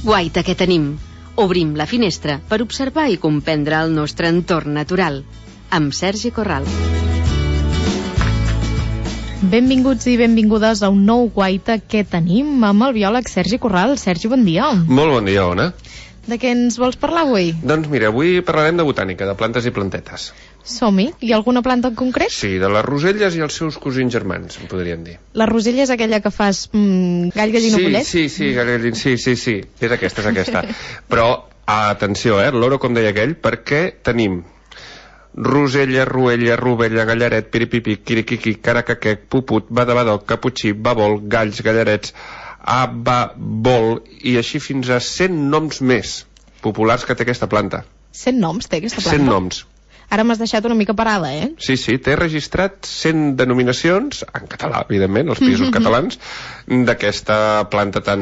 guaita que tenim. Obrim la finestra per observar i comprendre el nostre entorn natural. Amb Sergi Corral. Benvinguts i benvingudes a un nou guaita que tenim amb el biòleg Sergi Corral. Sergi, bon dia. Molt bon dia, Ona. De què ens vols parlar avui? Doncs mira, avui parlarem de botànica, de plantes i plantetes. Som-hi. Hi ha alguna planta en concret? Sí, de les roselles i els seus cosins germans, en podríem dir. La rosella és aquella que fas gall, gallina, pollet? Sí, gall, sí. És aquesta. Però, atenció, el loro, com deia aquell, perquè tenim rosella, ruella, rovella, gallaret, piripipi, quiriquiqui, caracaquec, puput, badabadot, caputxí, babol, galls, gallarets, ababol, i així fins a 100 noms més populars que té aquesta planta. 100 noms té aquesta planta? 100 noms. Ara m'has deixat una mica parada, eh? Sí, té registrat 100 denominacions, en català, evidentment, els països catalans, d'aquesta planta tan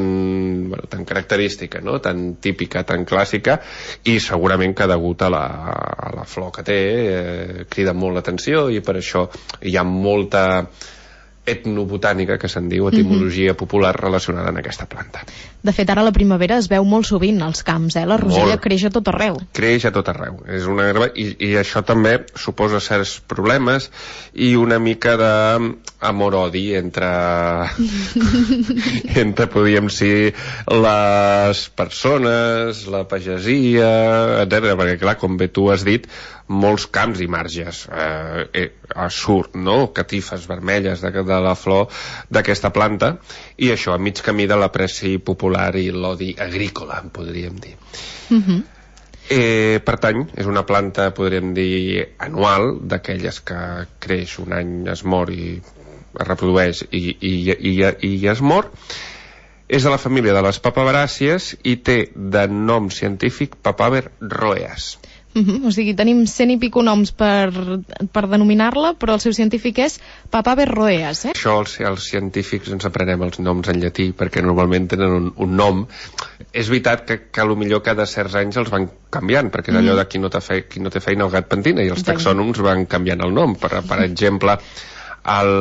característica, no? Tan típica, tan clàssica, i segurament que degut a la flor que té, crida molt l'atenció, i per això hi ha molta etnobotànica, que se'n diu, etimologia popular relacionada amb aquesta planta. De fet, ara a la primavera es veu molt sovint als camps, la rosella creix a tot arreu. Creix a tot arreu. És una herba, i això també suposa certs problemes i una mica d'amor-odi entre podríem dir, les persones, la pagesia, etc. Perquè, clar, com bé tu has dit, molts camps i marges surt, no?, catifes vermelles de la flor d'aquesta planta, i això a mig camí de l'apreci popular i l'odi agrícola, en podríem dir. Per tant, és una planta, podríem dir, anual, d'aquelles que creix un any, es mor i es reprodueix i es mor. És de la família de les papaveràcies i té de nom científic Papaver rhoeas. O sigui, tenim 100 i pico noms per denominar-la, però el seu científic és Papaver rhoeas, Això els científics ens aprenem els noms en llatí, perquè normalment tenen un nom. És veritat que potser cada certs anys els van canviant, perquè és allò de qui no té feina el gat pentina, i els taxònoms van canviant el nom. Per exemple, el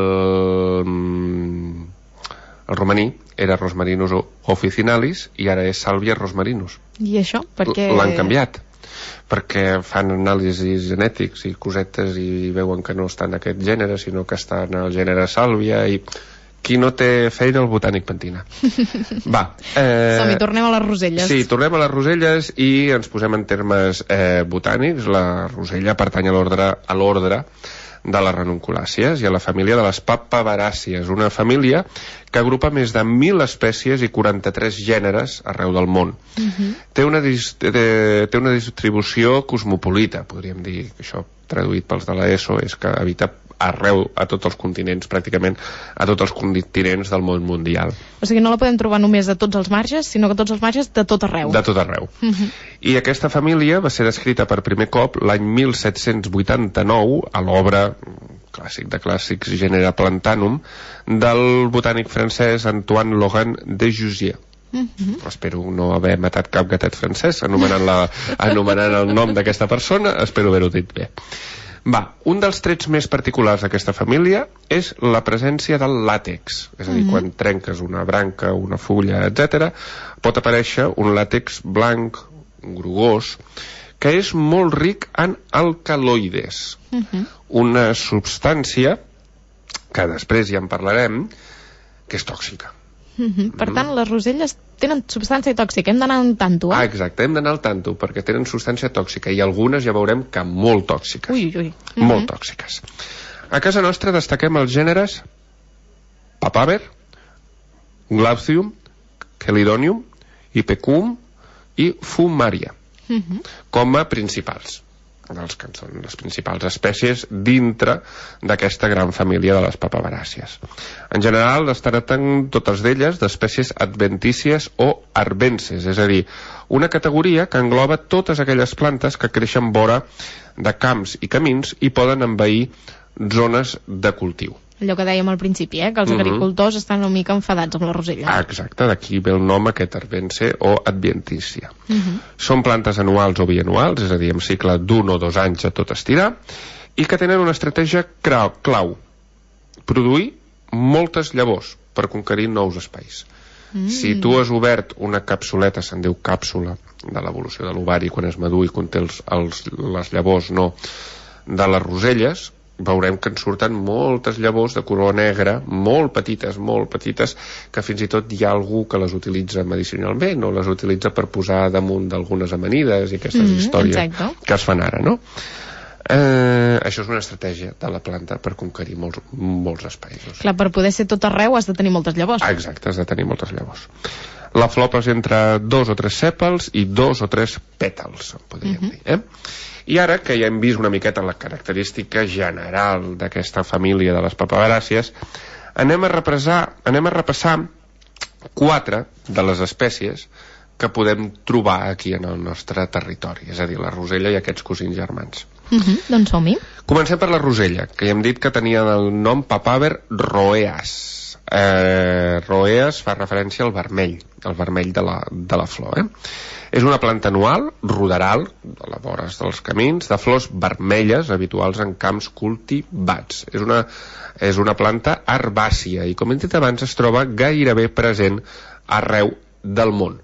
romaní era Rosmarinus officinalis i ara és Salvia rosmarinus. I això? Perquè l'han canviat, perquè fan anàlisis genètics i cosetes i veuen que no està en aquest gènere, sinó que està en el gènere Sàlvia, i qui no té feina, el botànic pentina. Som-hi, tornem a les roselles. Sí, tornem a les roselles i ens posem en termes botànics. La rosella pertany a l'ordre de les ranunculàcies i a la família de les papaveràcies, una família que agrupa més de 1.000 espècies i 43 gèneres arreu del món. Té una distribució cosmopolita, podríem dir, això traduït pels de l'ESO és que habita arreu, a tots els continents, pràcticament a tots els continents del món mundial. O sigui, no la podem trobar només a tots els marges, sinó que a tots els marges de tot arreu. De tot arreu. I aquesta família va ser descrita per primer cop l'any 1789 a l'obra clàssic de clàssics, Genera Plantanum, del botànic francès Antoine Laurent de Jussieu. Espero no haver matat cap gatet francès anomenant el nom d'aquesta persona, espero haver-ho dit bé. Un dels trets més particulars d'aquesta família és la presència del làtex, és a dir, quan trenques una branca, una fulla, etc., pot aparèixer un làtex blanc, grogós, que és molt ric en alcaloides, una substància que després ja en parlarem, que és tòxica. Per tant, les roselles tenen substància tòxica, hem d'anar al tanto, Exacte, hem d'anar al tanto, perquè tenen substància tòxica, i algunes ja veurem que molt tòxiques. Molt tòxiques. A casa nostra destaquem els gèneres Papaver, Glaucium, Chelidonium, Ipecuum i Fumaria, com a principals, dels que són les principals espècies dintre d'aquesta gran família de les papaveràcies. En general, es tracten totes d'elles d'espècies adventícies o arbences, és a dir, una categoria que engloba totes aquelles plantes que creixen vora de camps i camins i poden envair zones de cultiu. Allò que dèiem al principi, que els agricultors estan una mica enfadats amb la rosella. Exacte, d'aquí ve el nom aquest arbense o adventícia. Són plantes anuals o bianuals, és a dir, amb cicle d'1 o 2 anys a tot estirar, i que tenen una estratègia clau: produir moltes llavors per conquerir nous espais. Si tu has obert una capsuleta, se'n diu càpsula, de l'evolució de l'ovari quan és madur i conté les llavors de les roselles, veurem que en surten moltes llavors de color negre, molt petites, que fins i tot hi ha algú que les utilitza medicinalment o les utilitza per posar damunt d'algunes amanides i aquestes històries que es fan ara, no? Això és una estratègia de la planta per conquerir molts espais. Clar, per poder ser tot arreu has de tenir moltes llavors. Exacte, has de tenir moltes llavors. La flor presenta 2 o 3 sèpals i 2 o 3 pètals, podríem dir. I ara que ja hem vist una miqueta la característica general d'aquesta família de les papaveràcies, anem a repassar 4 de les espècies que podem trobar aquí en el nostre territori, és a dir, la rosella i aquests cosins germans. Doncs som-hi. Comencem per la rosella, que ja hem dit que tenia el nom Papaver roeas. Roeas fa referència al vermell de la flor. És una planta anual, ruderal, a les vores dels camins, de flors vermelles habituals en camps cultivats. És una planta herbàcia i, com hem dit abans, es troba gairebé present arreu del món.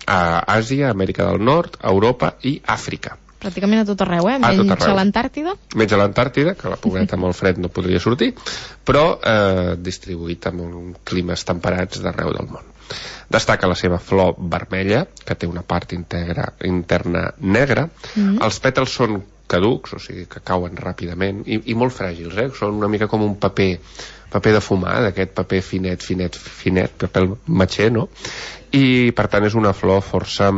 A Àsia, Amèrica del Nord, Europa i Àfrica. Pràcticament a tot arreu, menys a l'Antàrtida. Menys a l'Antàrtida, que la pobreta amb el fred no podria sortir, però distribuït amb climes temperats d'arreu del món. Destaca la seva flor vermella, que té una part interna negra. Els pètals són caducs, o sigui que cauen ràpidament, i molt fràgils, són una mica com un paper de fumar, d'aquest paper finet, paper matxer, no? I per tant és una flor força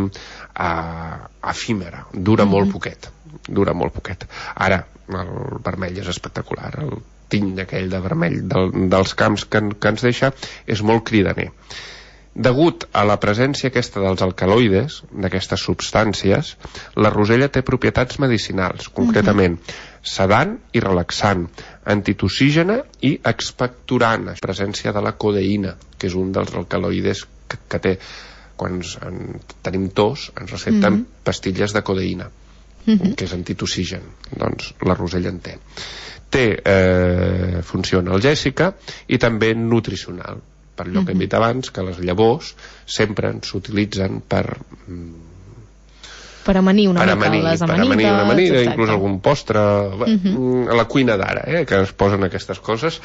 efímera, dura molt poquet. Ara, el vermell és espectacular, el tint aquell de vermell dels camps que ens deixa és molt cridaner. Degut a la presència aquesta dels alcaloides, d'aquestes substàncies, la rosella té propietats medicinals, concretament sedant i relaxant, antitoxígena i expectorant, presència de la codeïna, que és un dels alcaloides que té. Quan tenim tos ens recepten pastilles de codeïna, que és antitoxigen. Doncs la rosella en té. Té funció analgèsica i també nutricional, per allò que hem dit abans, que les llavors sempre s'utilitzen per amanir una mica les amanides, inclús algun postre, a la cuina d'ara, que es posen aquestes coses,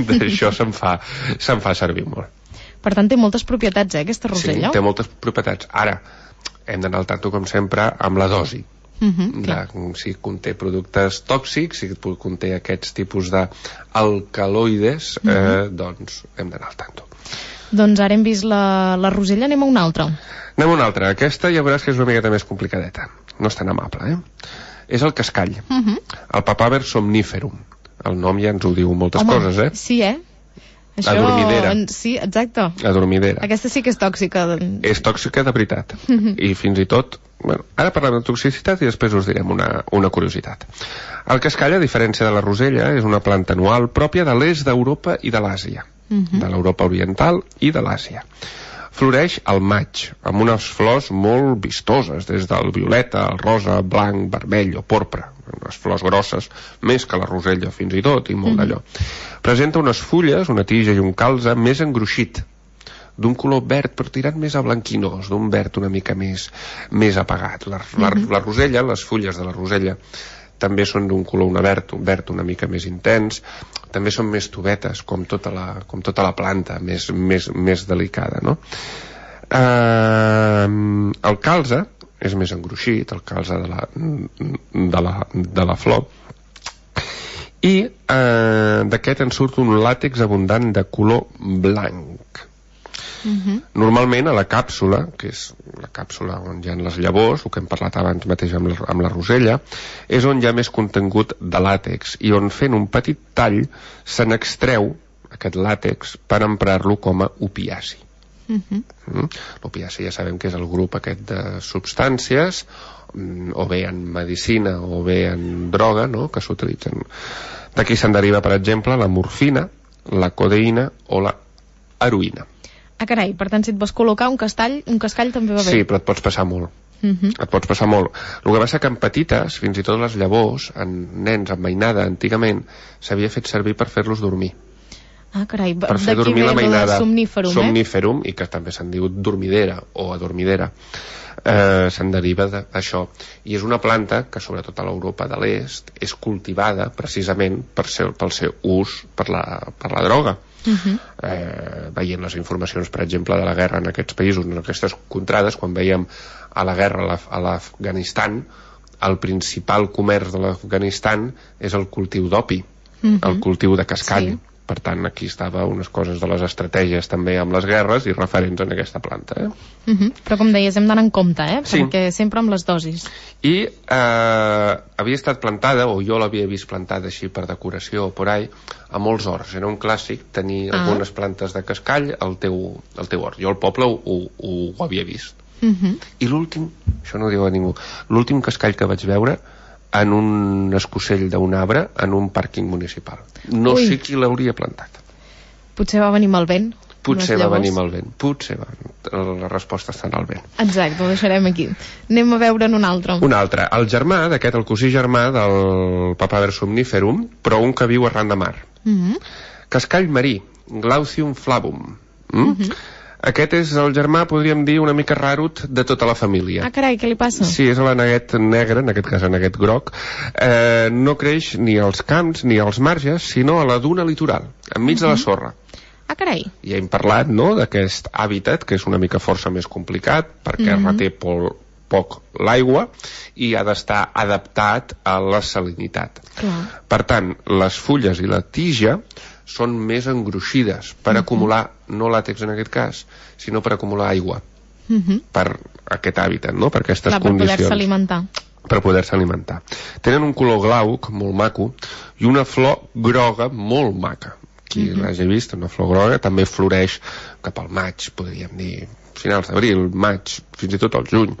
d'això se'n fa servir molt. Per tant, té moltes propietats, aquesta rosella? Sí, té moltes propietats. Ara, hem d'anar al tanto, com sempre, amb la dosi. Si conté productes tòxics, si conté aquests tipus d'alcaloides, doncs hem d'anar al tanto. Doncs ara hem vist la rosella, anem a una altra. Aquesta ja veuràs que és una miqueta més complicadeta. No és tan amable, És el cascall. El Papaver somniferum. El nom ja ens ho diu moltes coses, Sí, Això... Adormidera. Sí, exacte. Adormidera. Aquesta sí que és tòxica. És tòxica de veritat. I fins i tot... ara parlem de toxicitat i després us direm una curiositat. El cascall, a diferència de la rosella, és una planta anual pròpia de l'est d'Europa i de l'Àsia. De l'Europa oriental i de l'Àsia. Floreix al maig, amb unes flors molt vistoses, des del violeta, el rosa, blanc, vermell o porpra. Unes flors grosses, més que la rosella fins i tot, i molt d'allò. Presenta unes fulles, una tija i un calze més engruixit, d'un color verd però tirant més a blanquinós, d'un verd una mica més apagat. La rosella, les fulles de la rosella, també són d'un color verd una mica més intens, també són més tovetes, com tota la planta, més delicada, no? El calze és més engruixit, el calze de la flor, i d'aquest en surt un làtex abundant de color blanc. Normalment a la càpsula, que és la càpsula on hi ha les llavors, el que hem parlat abans mateix amb la rosella, és on hi ha més contingut de làtex i on fent un petit tall se n'extreu aquest làtex per emprar-lo com a opiaci. L'opiaci ja sabem que és el grup aquest de substàncies, o bé en medicina o bé en droga, no?, que s'utilitzen. D'aquí se'n deriva, per exemple, la morfina, la codeïna o la heroïna. Carai, per tant, si et vols col·locar un cascall també va bé. Sí, però et pots passar molt. Et pots passar molt. El que passa que en petites, fins i tot les llavors, en nens amb mainada, antigament, s'havia fet servir per fer-los dormir. Ah, carai, per fer dormir la mainada. Somníferum, Somníferum, i que també se'n diu dormidera o adormidera. Se'n deriva d'això. I és una planta que, sobretot a l'Europa de l'Est, és cultivada precisament pel seu ús per la droga. Veient les informacions, per exemple, de la guerra en aquests països, en aquestes contrades, quan veiem a la guerra a l'Afganistan, el principal comerç de l'Afganistan és el cultiu d'opi, el cultiu de cascall. Sí. Per tant, aquí estava unes coses de les estratègies també amb les guerres i referents en aquesta planta. Però com deies, hem d'anar en compte, sí. Perquè sempre amb les dosis. I havia estat plantada, o jo l'havia vist plantada així per decoració o por ahí, a molts horts. Era un clàssic tenir algunes plantes de cascall al teu hort. Jo al poble ho havia vist. I l'últim, això no ho diu a ningú, l'últim cascall que vaig veure en un escocell d'un arbre en un pàrquing municipal. No sé qui l'hauria plantat. Potser va venir amb el vent. Potser va venir amb el vent. La resposta està en el vent. Exacte, ho deixarem aquí. Anem a veure'n un altre. Un altre. El germà d'aquest, el cosí germà del Papaver somniferum, però un que viu arran de mar. Cascall marí, Glaucium flavum. Aquest és el germà, podríem dir, una mica rarut de tota la família. Ah, carai, què li passa? Sí, és l'aneguet negre, en aquest cas aneguet groc. No creix ni als camps ni als marges, sinó a la duna litoral, enmig de la sorra. Ah, carai. Ja hem parlat, no?, d'aquest hàbitat, que és una mica força més complicat, perquè reté poc l'aigua i ha d'estar adaptat a la salinitat. Per tant, les fulles i la tija són més engruixides per acumular, no làtex en aquest cas, sinó per acumular aigua per aquest hàbitat, no?, per aquestes condicions. Per poder-se alimentar. Tenen un color glauc, molt maco, i una flor groga molt maca. Qui l'hagi vist, una flor groga, també floreix cap al maig, podríem dir, finals d'abril, maig, fins i tot al juny.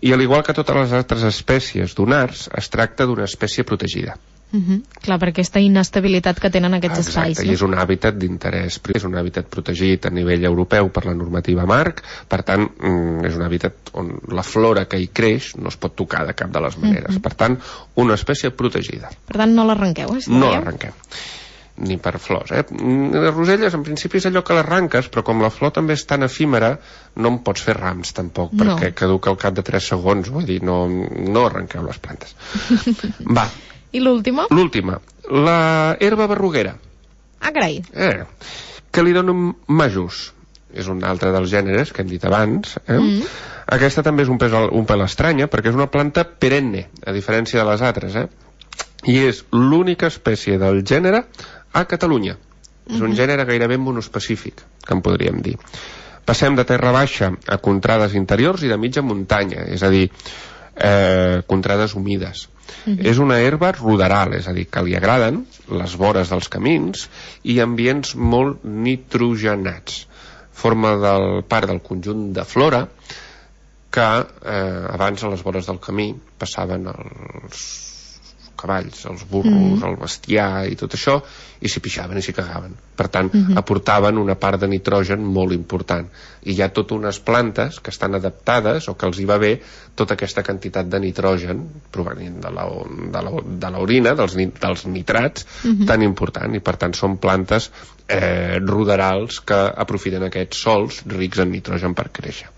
I al igual que totes les altres espècies dunars, es tracta d'una espècie protegida. Clar, per aquesta inestabilitat que tenen aquests espais. Exacte, i és un hàbitat d'interès, és un hàbitat protegit a nivell europeu per la normativa marc, per tant, és un hàbitat on la flora que hi creix no es pot tocar de cap de les maneres. Per tant, una espècie protegida. Per tant, no l'arrenqueu, No l'arrenquem. Ni per flors, Les roselles, en principi, és allò que l'arranques, però com la flor també és tan efímera, no en pots fer rams, tampoc, perquè caduca al cap de 3 segons, vull dir, no arrenqueu les plantes. Va. I l'última? L'última, la herba berruguera. Ah, carai. Calidonum majus. És un altre dels gèneres que hem dit abans. Aquesta també és un pèl estranya, perquè és una planta perenne, a diferència de les altres. I és l'única espècie del gènere a Catalunya. És un gènere gairebé monoespecífic, que en podríem dir. Passem de terra baixa a contrades interiors i de mitja muntanya, és a dir, contrades humides. És una herba ruderal, és a dir, que li agraden les vores dels camins i ambients molt nitrogenats. Forma part del conjunt de flora que abans a les vores del camí passaven els cavalls, els burros, el bestiar i tot això, i s'hi pixaven i s'hi cagaven. Per tant, aportaven una part de nitrogen molt important. I hi ha totes unes plantes que estan adaptades o que els hi va bé tota aquesta quantitat de nitrogen provenint de l'orina, dels nitrats, tan important. I per tant són plantes ruderals que aprofiten aquests sòls rics en nitrogen per créixer.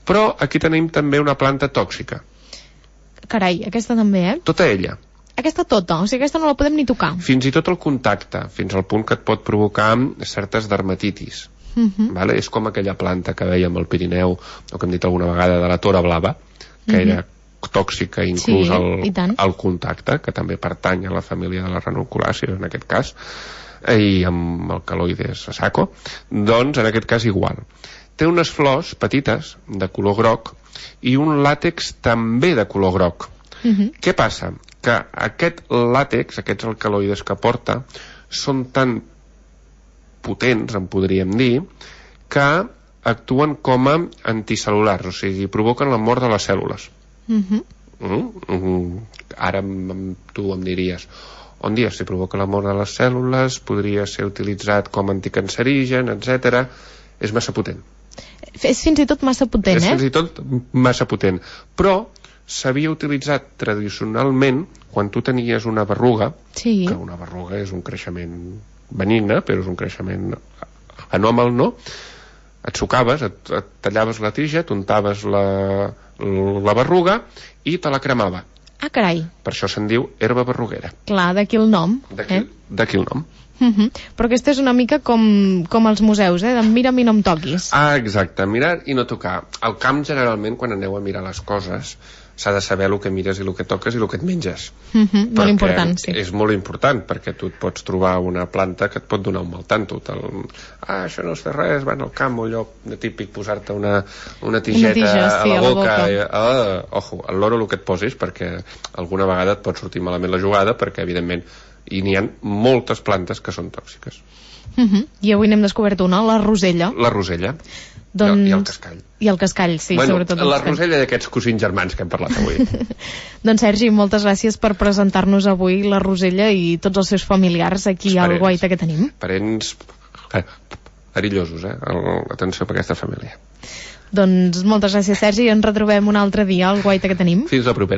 Però aquí tenim també una planta tòxica. Carai, aquesta també, Tota ella. Aquesta tota, o sigui, aquesta no la podem ni tocar. Fins i tot el contacte, fins al punt que et pot provocar certes dermatitis. És com aquella planta que veiem al Pirineu, o que hem dit alguna vegada, de la tora blava, que era tòxica inclús al contacte, que també pertany a la família de les ranunculàcies, en aquest cas, i amb alcaloides a saco, doncs en aquest cas igual. Té unes flors petites, de color groc, i un làtex també de color groc. Què passa? Que aquest làtex, aquests alcaloides que porta, són tan potents, en podríem dir, que actuen com a anticel·lulars, o sigui, provoquen la mort de les cèl·lules. Ara tu em diries, on dius, si provoca la mort de les cèl·lules, podria ser utilitzat com anticancerigen, etc. És massa potent. És fins i tot massa potent, És fins i tot massa potent. Però s'havia utilitzat tradicionalment quan tu tenies una berruga, que una berruga és un creixement benigne, però és un creixement anòmal, no? Et sucaves, et tallaves la tija, t'untaves la berruga i te la cremava. Ah, carai. Per això se'n diu herba berruguera. Clar, d'aquí el nom. D'aquí el nom. Però aquesta és una mica com els museus, de mira'm i no em toquis. Ah, exacte, mirar i no tocar. Al camp, generalment, quan aneu a mirar les coses, s'ha de saber el que mires i el que toques i el que et menges. Molt important, sí. És molt important, perquè tu et pots trobar una planta que et pot donar un mal tanto. Això no es fa res, van al camp, allò típic, posar-te una tigeta a la boca. Ojo, al loro el que et posis, perquè alguna vegada et pot sortir malament la jugada, perquè, evidentment, n'hi ha moltes plantes que són tòxiques. I avui n'hem descobert una, la rosella. La rosella. Doncs... I el cascall. I el cascall, sí, sobretot el cascall. La rosella d'aquests cosins germans que hem parlat avui. Doncs Sergi, moltes gràcies per presentar-nos avui la rosella i tots els seus familiars aquí al guaita que tenim. Parents perillosos, atenció per aquesta família. Doncs moltes gràcies, Sergi, i ens retrobem un altre dia al guaita que tenim. Fins la propera.